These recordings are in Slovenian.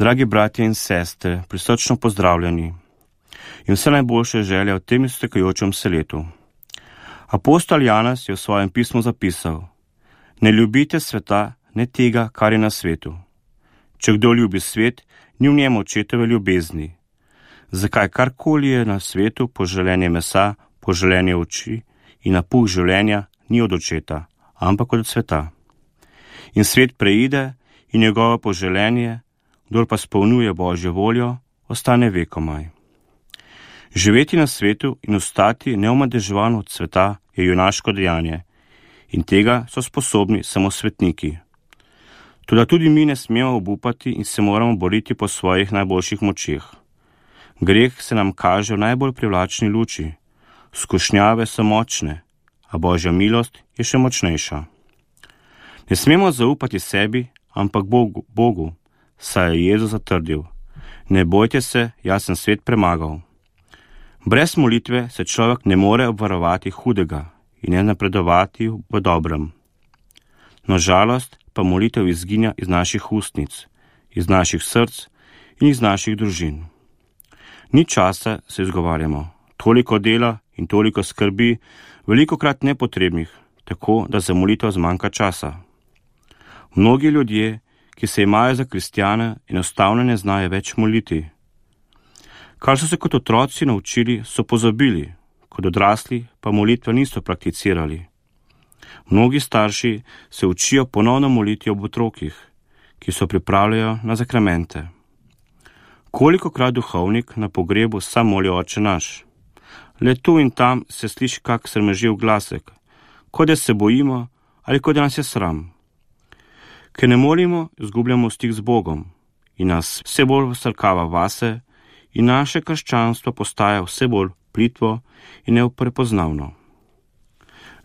Dragi bratje in sestre, prisrčno pozdravljeni in vse najboljše želje v tem iztekajočem se letu. Apostol Janez je v svojem pismu zapisal: ne ljubite sveta, ne tega, kar je na svetu. Če kdo ljubi svet, ni v njem očetove ljubezni. Zakaj karkoli je na svetu, poželenje mesa, poželenje oči in napuh življenja ni od očeta, ampak od sveta. In svet preide in njegovo poželenje, kdor pa spolnjuje Božjo voljo, ostane vekomaj. Živeti na svetu in ostati neomadeževan od sveta je junaško dejanje in tega so sposobni samo svetniki. Toda tudi mi ne smemo obupati in se moramo boriti po svojih najboljših močeh. Greh se nam kaže v najbolj privlačni luči, skušnjave so močne, a Božja milost je še močnejša. Ne smemo zaupati sebi, ampak Bogu, saj je Jezus zatrdil: ne bojte se, jaz sem svet premagal. Brez molitve se človek ne more obvarovati hudega in ne napredovati v dobrem. Na žalost pa molitev izginja iz naših ustnic, iz naših src in iz naših družin. Ni časa, se izgovarjamo, toliko dela in toliko skrbi, velikokrat nepotrebnih, tako da za molitev zmanjka časa. Mnogi ljudje, ki se imajo za kristjane, enostavno ne znajo več moliti. Kar so se kot otroci naučili, so pozabili, kot odrasli pa molitve niso prakticirali. Mnogi starši se učijo ponovno moliti ob otrokih, ki so pripravljajo na zakramente. Kolikokrat duhovnik na pogrebu sam moli Oče naš. Le tu in tam se sliši kak sramežljiv glasek, kot da se bojimo ali kot da nas je sram. Ker ne molimo, izgubljamo stik z Bogom in nas vse bolj vsrkava vase in naše krščanstvo postaja vse bolj plitvo in neprepoznavno.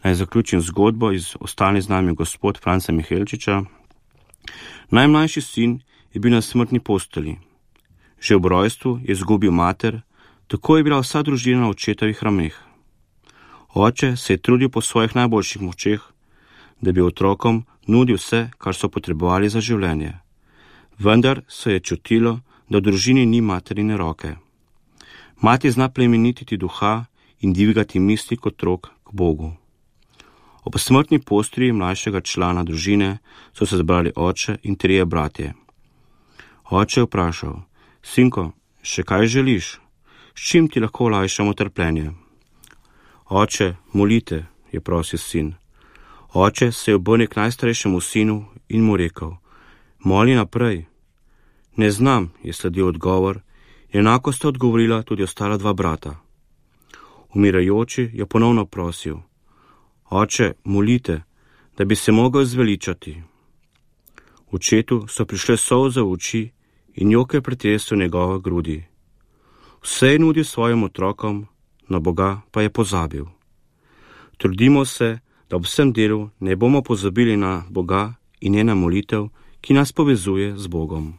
Naj zaključim zgodbo iz Ostani z nami gospod Franca Mihelčiča. Najmlajši sin je bil na smrtni postelji. Že ob rojstvu je izgubil mater, tako je bila vsa družina na očetovih rameh. Oče se je trudil po svojih najboljših močeh, da bi otrokom nudil vse, kar so potrebovali za življenje. Vendar se je čutilo, da v družini ni materine roke. Mati zna plemenititi duha in dvigati misli kot otrok k Bogu. Ob smrtni postelji mlajšega člana družine so se zbrali oče in trije bratje. Oče je vprašal: sinko, še kaj želiš? S čim ti lahko olajšamo trpljenje? Oče, molite, je prosil sin. Oče se je obrnil k najstarejšemu sinu in mu rekel: moli naprej. Ne znam, je sledil odgovor, in enako sta odgovorila tudi ostala dva brata. Umirajoči je ponovno prosil: Oče, molite, da bi se mogel zveličati. Očetu so prišle solze v oči in jok je pretresel njegove grudi. Vse je nudil svojim otrokom, na Boga pa je pozabil. Trudimo se, da ob vsem delu ne bomo pozabili na Boga in njena molitev, ki nas povezuje z Bogom.